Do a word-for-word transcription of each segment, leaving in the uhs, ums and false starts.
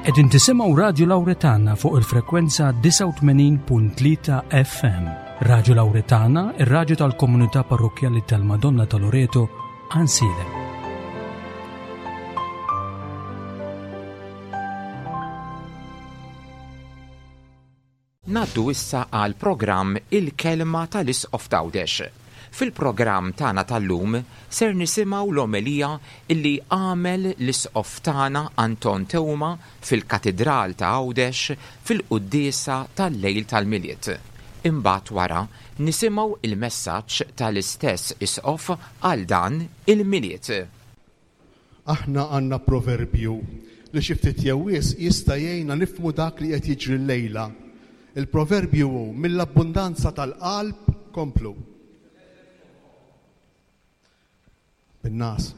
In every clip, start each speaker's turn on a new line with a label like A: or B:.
A: Qegħdin tisimgħu Radju Lawretana fuq il-frekwenza disgħa u tmenin punt tlieta F M. Radju Lawretana, ir-radju tal-komunità parrokkjali tal-Madonna ta' Loreto, Għajnsielem.
B: Naddu issa għal programm Il-Kelma tal-Isqof t'Għawdex. Fil-programm tagħna tal-lum ser nisimgħu l-omelija illi għamel l-Isqof tagħna Anton Teuma fil-Katidral ta' Għawdex fil-quddiesa tal-lejl tal-Milied. Imbagħad wara nisimgħu il-messaġġ tal-istess Isqof għal dan il-Milied.
C: Aħna għandna proverbju li xi ftit jew wisq jista' jgħinna nifhmu dak li qed jiġri llejla. Il-proverbju hu mill-abbundanza tal-qalb komplu. Bin-nas.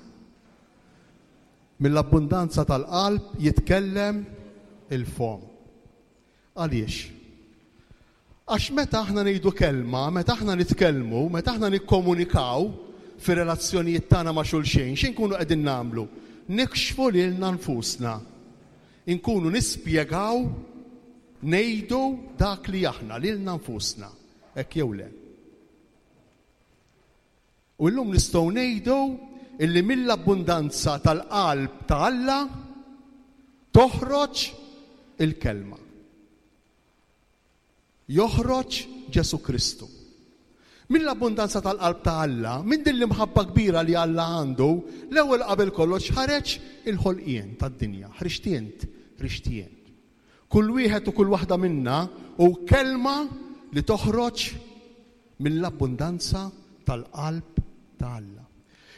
C: Mill-abbundanza tal-qalb jitkellem il-fom. Għaliex? Għax meta aħna ngħidu kelma, meta aħna nitkellmu, meta aħna nikkomunikaw fir-relazzjonijiet tagħna ma' xulxin, x'inkunu qegħdin nagħmlu? Nikxfu lilna nfusna. Inkunu nispjegaw, ngħidu dak li aħna lilna nfusna, hekk jew le. U llum nistgħu ngħidu illi mill-abbundanza tal-qalb ta' Alla toħroġ il-kelma. Joħroġ Ġesu Kristu. Mill-abbundanza tal-qalb ta' Alla, minn din l-imħabba kbira li Alla għandu, l-ewwel qabel kollox ħareġ il-ħolqien tad-dinja. Ħriġt int, ħriġt jien. Kull wieħed u kull waħda minna hu kelma li toħroġ mill-abbundanza tal-qalb ta' Alla.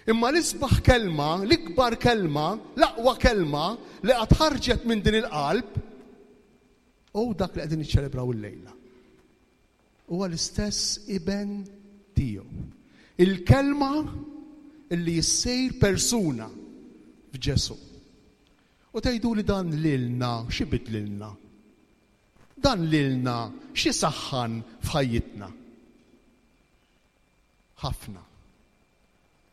C: Imma l-isbaħ kelma, l-ikbar kelma, l-aqwa kelma li qatt ħarġet minn din il-qalb hu dak li qegħdin niċċelebraw illejla. Huwa l-istess iben tiegħu. Il-kelma illi jissejr persuna f'Ġesu. U tgħidu li dan lilna x'ibidlilna? Dan lilna xi saħħan f'ħajjitna? Ħafna.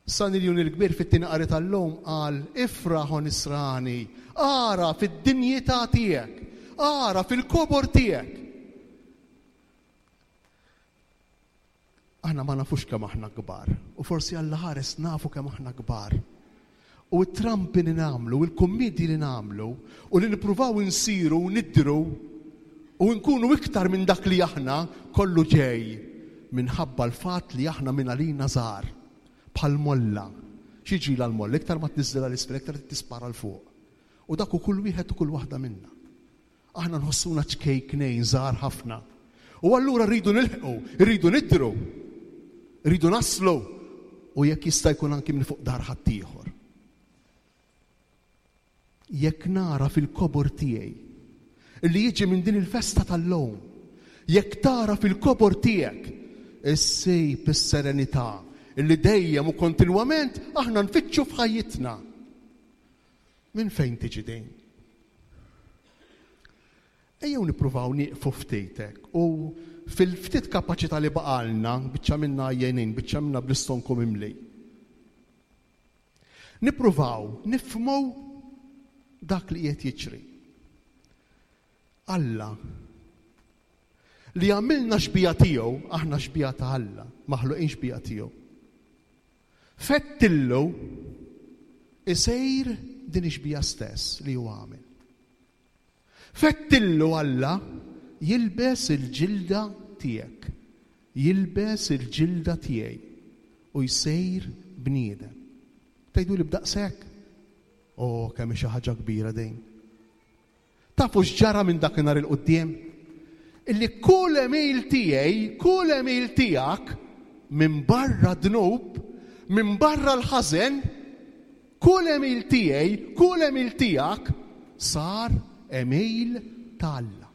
C: San Iljun il-Kbir fit-tieni qari tal-lum qal, ifraħ o nisrani, ara fid-dinjità tiegħek, ara fil-kobor tiegħek. Aħna ma nafux kemm aħna kbar, u forsi Alla ħares nafu kemm aħna kbar. U t-trampi li nagħmlu, u l-kummedji li nagħmlu, u li nippruvaw insiru u nidru u nkunu iktar minn dak li aħna, kollu ġej minħabba l-fatt li aħna minn għalina żgħar. Bħal molla. Xi ġila l-molla? Iktar ma tniżżilha l-isfel, iktar tispara l fuq. U dak hu kull wieħed u kull waħda minna. Aħna nħossuna ċkejknejn żgħar ħafna. U allura rridu nilħqu, rridu nidru, rridu naslu, u jekk jista' jkun anki minn fuq dar ħaddieħor. Jekk nara fil-kobor tiegħi li jiġi minn din il-festa tal-lum, jekk tara fil-kobor tiegħek issib is-serenità illi dejjem u kontinwament aħna nfittxu f'ħajjitna. Minn fejn tiġi din? Ejjew nippruvaw nieqfu ftitek u fil-ftit kapaċità li baqalna, biċċa minna għajjenin, biċċa minna bl-istonku mimli. Nippruvaw nifhmu dak li qiegħed jiġri. Alla li għamilna xbija tiegħu, aħna xbija ta' Alla, maħluqin xbija tiegħu. Fettillu isejr din ix-xbija stess li hu għamel. Fettillu Alla jilbes il-ġilda tiegħek, jilbes il-ġilda tiegħi u jsejr bniedem. Tgħidu li b'daqshekk? Oh, kemm hi xi ħaġa kbira din. Tafu x'ġara minn dakinhar il-quddiem? Illi kull għemil tiegħi, kull għemil tiegħek, minn barra dnub, minn barra l-ħażen, kull għemil tiegħi, kull għemil tiegħek sar għemil ta' Alla.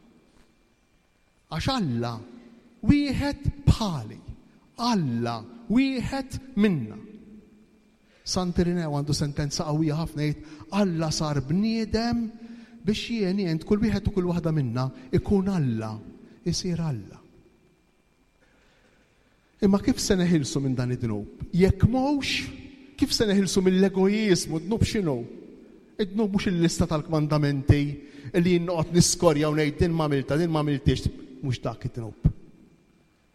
C: Għax Alla wieħed bħali, Alla wieħed minna. Sant Irineu għandu sentenza qawwija ħafna jgħid, Alla sar bniedem biex jien jent kull wieħed u kull waħda minna ikun Alla, isir Alla. Imma kif se neħilsu minn dan id-dnub? Jekk mhux, kif se neħilsu mill-egoiżmu? Dnub x'inhu? Id-dnub mhux il-lista tal-kmandamenti li jien noqgħod niskorja u ngħid din m'għamiltha, din m'għamiltix, mhux dak id-dnub.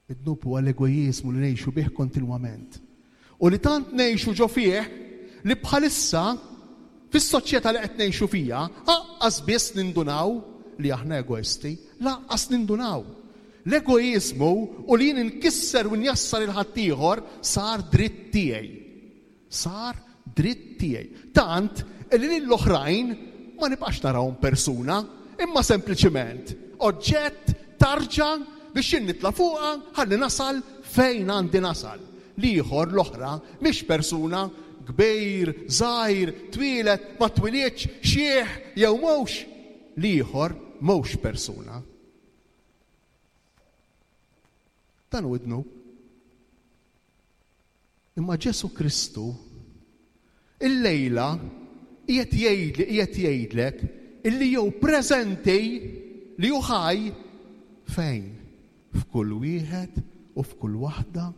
C: Id-dnub huwa l-egoiżmu li ngħixu bih kontinwament. U li tant ngħixu ġo fih li bħalissa fis-soċjetà li qed ngħixu fiha aqqas biss nindunaw li aħna egoisti, lanqas nindunaw. L-egoiżmu u li jien inkisser u njassar il-ħaddieħor sar dritt tiegħi. Sar dritt tiegħi. Tant li lill-oħrajn ma nibqax narawhom persuna, imma sempliċiment oġġett tarġa biex jien nitla' fuqha ħalli nasal fejn għandi nasal. L-ieħor, l-oħra, mhix persuna, kbir, żgħir, twieled, ma twiliedx, xieħ jew mhux. L-ieħor mhux persuna. Dan hu id-dnub. Imma Ġesu Kristu illejla qiegħed jgħidli, qiegħed jgħidlek illi jew preżenti li hu ħaj fejn? F'kull wieħed u f'kull waħda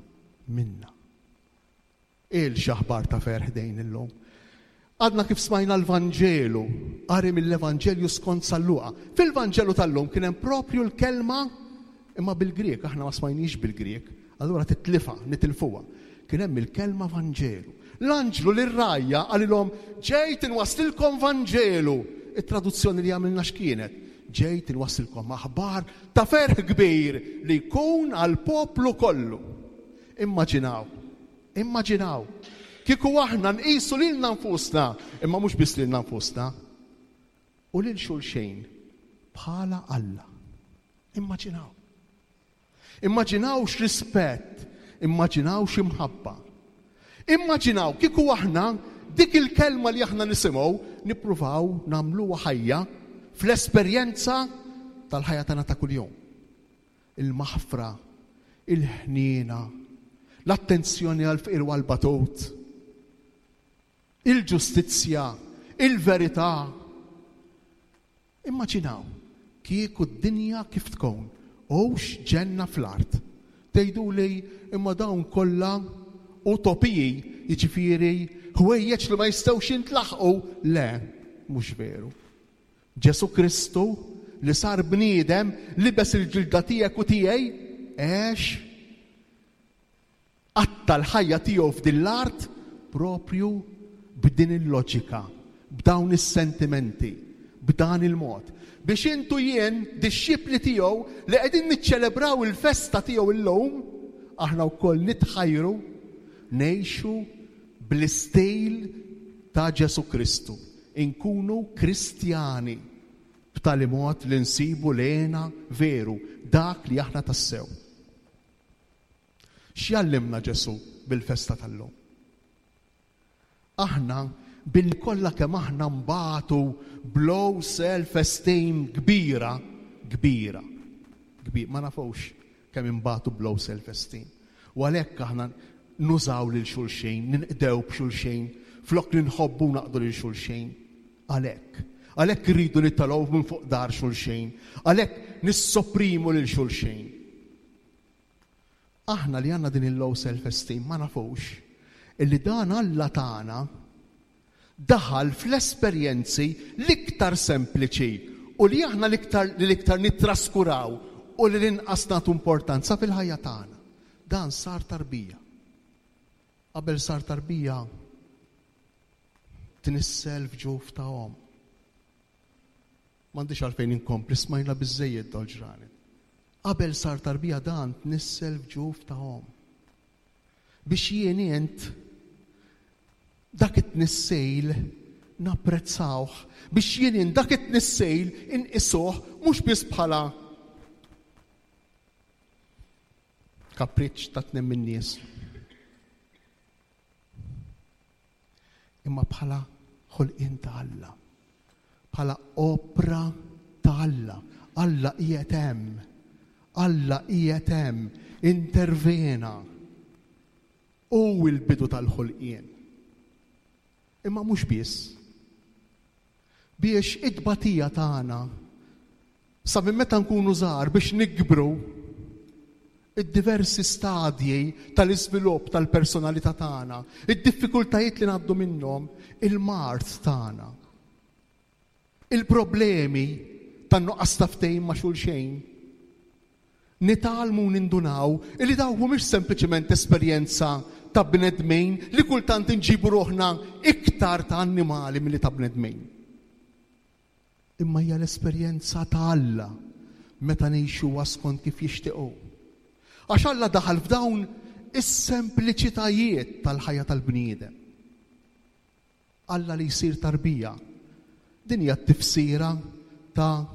C: minna. Il x'aħbar ta' ferħ dejn illum. Għadna kif smajna l-Vanġelu, qari mill-Evanġelju skont San Luqa. Fil-Vanġelu tal-lum kien hemm propju l-kelma, imma bil-Grieg, aħna ma smajniex bil-Grieg, allura titlifa, nitilfuha. Kien hemm il-kelma Vanġelu. L-anġlu lir-rgħajja qalilhom ġejt inwasslilkom Vanġelu. It-traduzzjoni li għamilna x'kienet? Ġejt inwasslilkom aħbar ta' ferħ kbir li jkun għall-poplu kollu. Immaġinaw, immaġinaw. Kieku aħna nqisu lilna nfusna, imma mhux biss lilna nfusna, u lil xulxejn bħala Alla. Immaġinaw. Immaġinaw x'rispett, immaġinaw x'imħabba. Immaġinaw kieku aħna dik il-kelma li aħna nisimgħu nippruvaw nagħmluha ħajja fl-esperjenza tal-ħajja tagħna ta' kuljum. Il-maħfra, il-ħniena, l-attenzjoni għall-fqir u għall-batut, il-ġustizzja, il-verità. Immaġinaw kieku d-dinja kif tkun, hux ġenna fl-art. Tgħiduli imma dawn kollha utopiji, jiġifieri ħwejjeġ li ma jistgħux jintlaħqu. Le, mhux veru. Ġesu Kristu li sar bniedem, libes il-ġilda tiegħek u tiegħi, għex qatta l-ħajja tiegħu f'din l-art propju b'din il-loġika, b'dawn is-sentimenti, b'dan il-mod. Biex intu jien, dixxipli tiegħu li qegħdin niċċelebraw il-festa tiegħu illum, aħna wkoll nitħajru ngħixu bl-istil ta' Ġesu Kristu. Inkunu Kristjani b'tali mod li nsibu lena veru dak li aħna tassew. X'jallimna Ġesu bil-festa tal-lum? Aħna billi kollha kemm aħna mbagħtu blow self-esteem kbira, kbira, kbira, ma nafux kemm imbagħtu blow self-esteem. U għalhekk aħna nużaw lil xulxin, ninqdew b'xulxin, flok li nħobbu naqdu lil xulxin. Għalhekk, għalhekk irridu nittalgħu minn fuq dar xulxin, għalhekk nissoprimu lil xulxin. Aħna li għandna din il-low self-esteem ma nafux illi dan Alla tagħna daħal fl-esperjenzi l-iktar sempliċi u li aħna l-iktar, li l-iktar nittraskuraw u li l-inqas nagħtu importanza fil-ħajja tagħna. Dan sar tarbija. Qabel sar tarbija tnissel f'ġuf ta' omm. M'għandix għalfejn inkompli, smajna biżżejjed dal-ġranet. Qabel sar tarbija dan tnissel f'ġuf ta' omm. Biex jien int dak it-tnissejl napprezzawh, biex jien int dak it-tnissejl inqisuh mhux biss bħala kapriċċ ta' tnejn min-nies, imma bħala ħolqien ta' Alla, bħala opra ta' Alla. Alla qiegħed hemm, Alla qiegħed hemm, intervena. Hu l-bidu tal-ħolqien. Imma mhux biss. Biex it-tbatija tagħna sa minn meta nkunu żgħar biex nikbru id-diversi stadji tal-iżvilupp tal-personalità tagħna, id-diffikultajiet li ngħaddu minnhom, il-mard tagħna. Il-problemi tan-nuqqas ta' ftehim ma' xulxejn. Nitgħallmu nindunaw illi dawk mhumiex sempliċement esperjenza ta' bnedmin li kultant inġibu ruħna iktar ta' annimali milli ta' bnedmin. Imma hija l-esperjenza ta' Alla meta ngħixuha skont kif jixtiequ. Għax Alla daħal f'dawn is-sempliċitajiet tal-ħajja tal-bniedem. Alla li jsir tarbija. Din hija t-tifsira ta'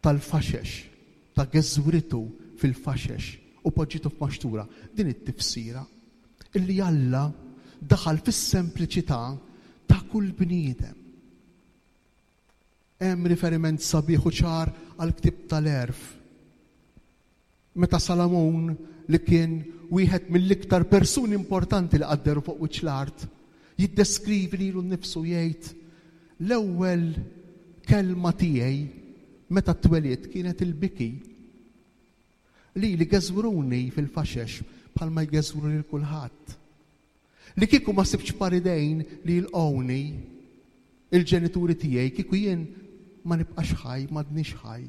C: tal-faxex, ta' geżwritu fil-faxex u poġġitu f'maxtura. Din it-tifsira illi Alla daħal fis-sempliċità ta' kull bniedem. Hemm riferiment sabiħ u ċar għall-ktieb tal-Għerf. Meta Salamun, li kien wieħed mill-iktar persuni importanti li qadderu fuq wiċċ l-art, jiddeskrivi lilu nnifsu jgħid l-ewwel kelma tiegħi meta twelidt kienet il-biki. Li li geżwruni fil-faxex bħalma jgeżwru lil kulħadd. Li kieku ma sibx paridejn li jilqgħuni il-ġenituri tiegħi, kieku jien ma nibqax ħaj, m'għadnix ħaj.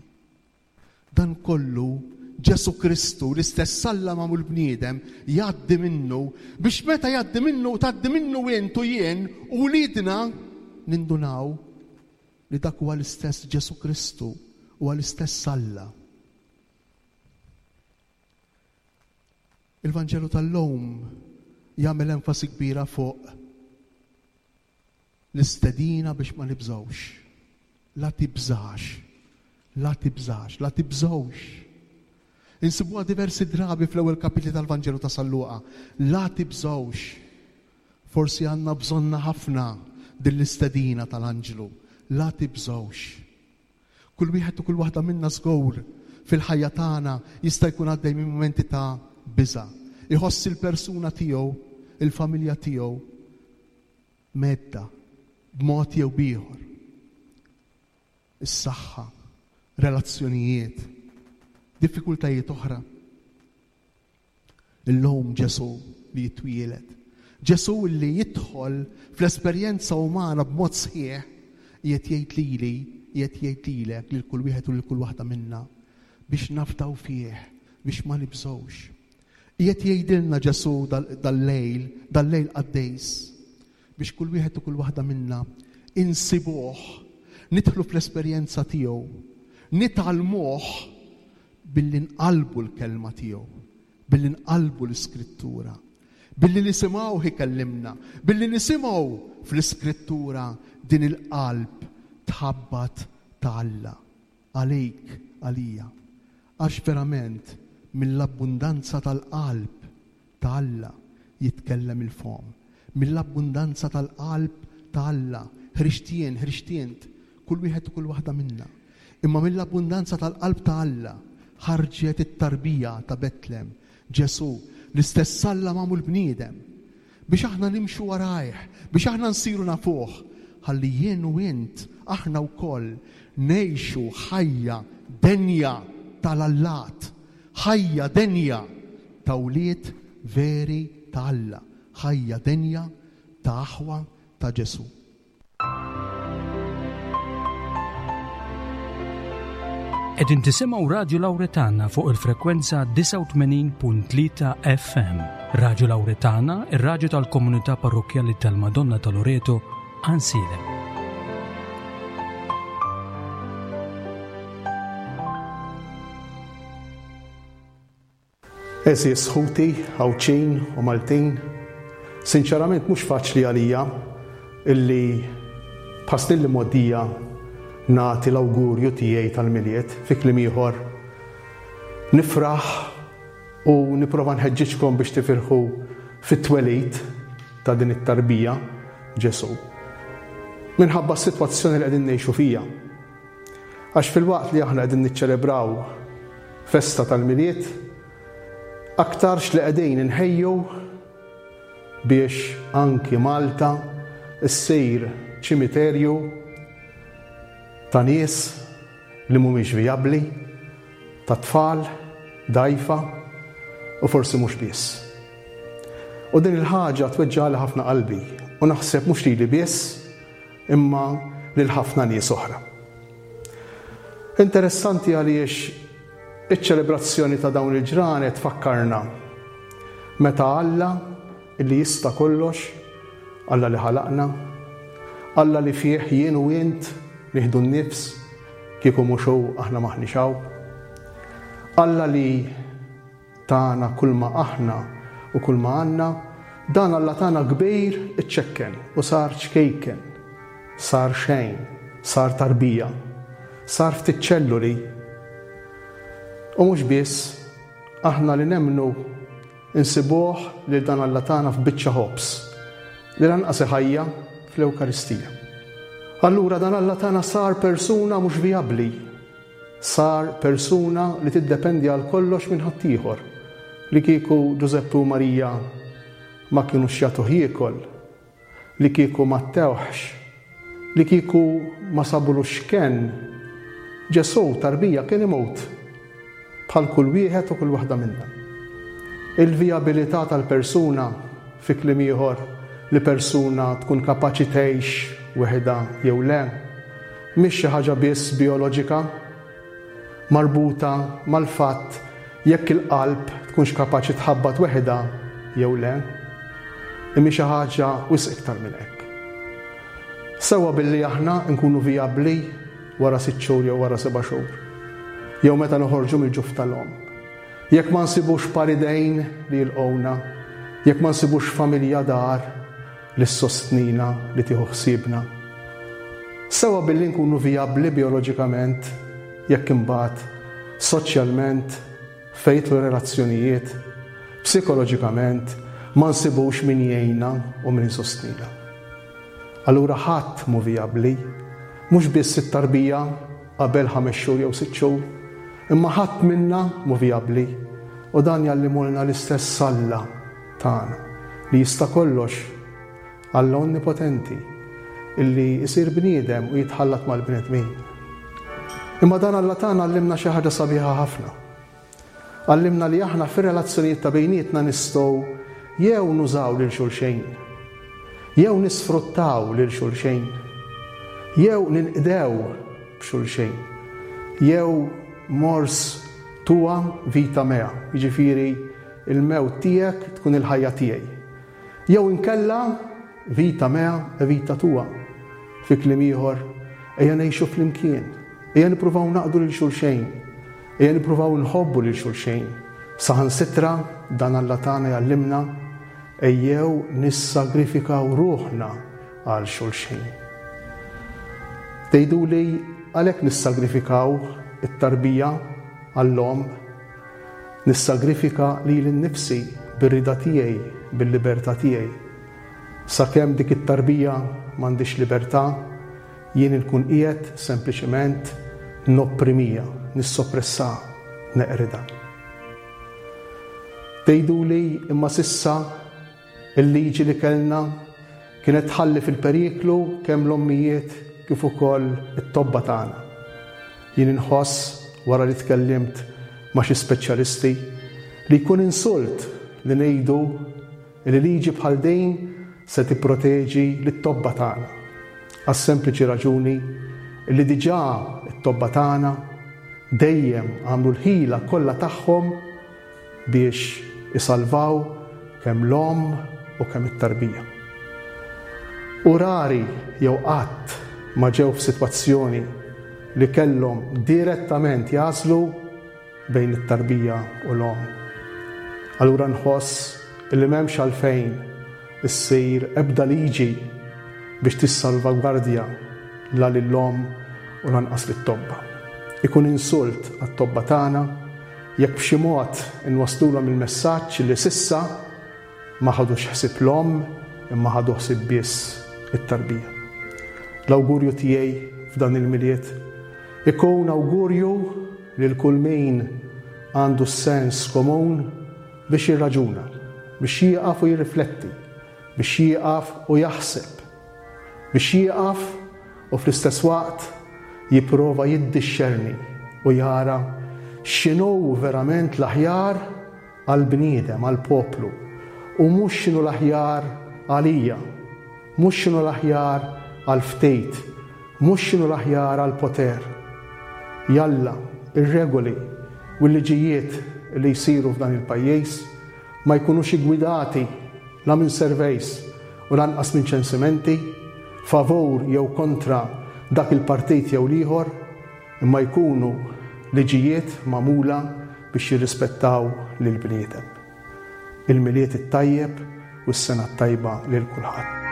C: Dan kollu Ġesu Kristu, l-istess Alla magħmul bniedem, jgħaddi minnu biex meta jgħaddi minnu, tgħaddi minnu int u jien u wliedna nindunaw li dak huwa l-istess Ġesu Kristu, huwa l-istess Alla. Il-Vanġelu tal-lum jagħmel enfasi kbira fuq l-istedina biex ma nibżgħux. La tibżax, la tibżax, la tibżgħux. Insibuha diversi drabi fl-ewwel kapitli tal-Vanġelu ta' San Luqa. La tibżgħux. Forsi għandna bżonna ħafna din l-istedina tal-anġlu. La tibżgħux. Kull wieħed u kull waħda minna żgur fil-ħajja tagħna jista' jkun għaddej minn mumenti ta' biża'. Iħoss il-persuna tiegħu, il-familja tiegħu medda b'mod jew b'ieħor. Is-saħħa, relazzjonijiet, diffikultajiet oħra. Illum Ġesu li jitwieled, Ġesu li jidħol fl-esperjenza umana b'mod sħiħ, qiegħed jgħid lili, qiegħed jgħid lilek, lil kull wieħed u lil kull waħda minna, biex nafdaw fih, biex ma nibżgħux. Qiegħed jgħidilna Ġesu dal-lejl, dal-lejl qaddejs, biex kull wieħed u kull waħda minna insibuh, nidħlu fl-esperjenza tiegħu, nitgħallmuh billi nqalbu l-kelma tiegħu, billi nqalbu l-iskrittura, billi nisimgħuh ikellimna, billi nisimgħu fl-iskrittura din il-qalb tħabbat ta' Alla għalik, għalija. Għax verament mill-abbundanza tal-qalb ta' Alla jitkellem il-fom. Mill-abbundanza tal-qalb ta' Alla, ħriġt jien, ħriġt int, kull wieħed u kull waħda minna. Imma mill-abbundanza tal-qalb ta' Alla ħarġet it-tarbija ta' Betlem, Ġesu, l-istess Alla magħmul bniedem, biex aħna nimxu warajh, biex aħna nsiru nafuh, ħalli jien u int aħna wkoll ngħixu ħajja denja tal-allat, ħajja denja ta' wlied veri ta' Alla, ħajja denja ta' aħwa ta' Ġesu.
A: Qegħdin tisimgħu Radju Lawretana fuq il-frekwenza disgħa u tmenin punt tlieta F M. Radju Lawretana, ir-radju tal-komunità parrokkjali tal-Madonna ta' Loreto, Għajnsielem.
D: Għeżież ħuti, Għawdxin u Maltin, sinċerament mhux faċli għalija illi bħas li moddija nagħti l-awgurju tiegħi tal-Milied, fi kliem ieħor nifraħ u nipprova nħeġġiġkom biex tifirħu fit-twelid ta' din it-tarbija Ġesu. Minħabba s-sitwazzjoni li qegħdin ngħixu fija. Għax fil-waqt li aħna qegħdin niċċelebraw festa tal-Milied, aktarx li qegħdin inħejju biex anki Malta ssir ċimiterju ta' nies li mhumiex vijabbli, ta' tfal dgħajfa u forsi mhux biss. U din il-ħaġa tweġġagħli ħafna qalbi u naħseb mhux lili biss, imma lil ħafna nies oħra. Interessanti għaliex iċ-ċelebrazzjoni ta' dawn il-ġranet tfakkarna meta Alla illi jista' kollox, Alla li ħalaqna, Alla li fih jien u int nieħdu n-nifs kieku mhux hu aħna m'aħniex hawn. Alla li tana kull ma aħna u kull ma għandna, dan Alla tagħna kbir iċċekken u sar ċkejken, sar xejn, sar tarbija, sar ftit ċelluli. U mhux biss, aħna li nemmnu insibuh lil dan Alla tagħna f'biċċa ħobż li lanqas ħajja fl-Ewkaristija. Allura dan Alla tagħna sar persuna mhux vijabbli, sar persuna li tiddependi għal kollox minn ħaddieħor, li kieku Ġużeppi u Marija ma kienux jagħtuh jiekol, li kieku ma ttewħx, li kieku ma sabulux kenn, Ġesù tarbija kien imut bħal kull wieħed u kull waħda minna. Il-vijabilità tal-persuna, fi kliem ieħor, li persuna tkun kapaċi tgħix weħidha jew le, mhix xi ħaġa biss bioloġika, marbuta mal-fatt jekk il-qalb tkunx kapaċi tħabbat weħidha jew le, imma xi ħaġa wisq iktar minn hekk. Sewwa billi aħna nkunu vijabbli wara sitt xhur jew wara seba' xhur, jew meta noħorġu mill-ġuf tal-omm. Jekk ma nsibux par idejn li jilqgħuna, jekk ma nsibux familja dar li ssostnina, li tieħu ħsiebna. Sewwa billi nkunu vijabbli bioloġikament, jekk imbagħad soċjalment, fejn jidħlu relazzjonijiet, psikoloġikament, ma nsibux min jgħinna u min isostnina. Allura ħadd mhu vijabbli, mhux biss it-tarbija qabel ħames xhur jew sitt xhur, imma ħadd minna mhu vijabbli, u dan jgħallimulna l-istess Alla tagħna li jista' kollox, Alla onnipotenti, illi jsir bniedem u jitħallat mal-bnedmin. Imma dan Alla tagħna għallimna xi ħaġa sabiħa ħafna. Għallimna li aħna fir-relazzjonijiet ta' bejnietna nistgħu jew nużaw lil xulxejn, jew nisfruttaw lil xulxejn, jew ninqdew b'xulxejn, jew mors tua vita mea, jiġifieri il-mewt tiegħek tkun il-ħajja tiegħi. Jew inkella vita mea e vita tua. Fi kliem ieħor, ejja ngħixu flimkien, ejja nippruvaw naqdu lil xulxejn, ejja nippruvaw nħobbu lil xulxejn. Saħansitra dan Alla tagħna jgħallimna ejjew nissagrifikaw ruħna għal xulxejn. Tgħiduli għalhekk nissagrifikaw it-tarbija għall-omm, nissagrifika lili nnifsi bir-rida tiegħi, bil-libertà tiegħi. Sakemm dik it-tarbija m'għandix libertà, jien inkun qiegħed sempliċement nopprimija, nissoppressa, neqrida. Tgħiduli imma s'issa il-liġi li kellna kienet tħalli fil-periklu kemm l-ommijiet kif ukoll it-tobba tagħna. Jien inħoss wara li tkellimt ma' xi speċjalisti li jkun insult li ngħidu li liġi bħal din se tipproteġi lit-tobba tagħna. Għas-sempliċi raġuni li diġà t-tobba tagħna dejjem għamlu l-ħila kollha tagħhom biex isalvaw kemm l-omm u kemm it-tarbija. U rari jew qatt ma ġew f'sitwazzjoni li kellhom direttament jażlu bejn it-tarbija u l-omm. Allura nħoss li m'hemmx għalfejn issir ebda liġi biex tissalvagwardja la lill-omm u lanqas lit-tobba. Ikun insult għat-tobba tagħna jekk b'xi mod inwaslulhom il-messaġġ li s'issa ma ħadux ħsieb l-omm imma ħadu ħsieb biss it-tarbija. L-awgurju tiegħi f'dan il-Milied ikun awgurju lil kull min għandu s-sens komun biex jirraġuna, biex jieqaf u jirrifletti, biex jieqaf u jaħseb, biex jieqaf u fl-istess waqt jipprova jiddixxerni u jara x'inhu verament l-aħjar għall-bniedem, għall-poplu, u mhux x'inhu l-aħjar għalija, mhux x'inhu l-aħjar għal ftit mhux x'inhu l-aħjar għall-poter. Jalla, ir-regoli u l-liġijiet li jsiru f'dan il-pajjiż ma jkunux iggwidati la minn surveys u lanqas minn ċensimenti favur jew kontra dak il-partit jew l-ieħor, imma jkunu liġijiet magħmula biex jirrispettaw lill-bniedem. Il-Milied it-tajjeb u s-sena t-tajba lil kulħadd.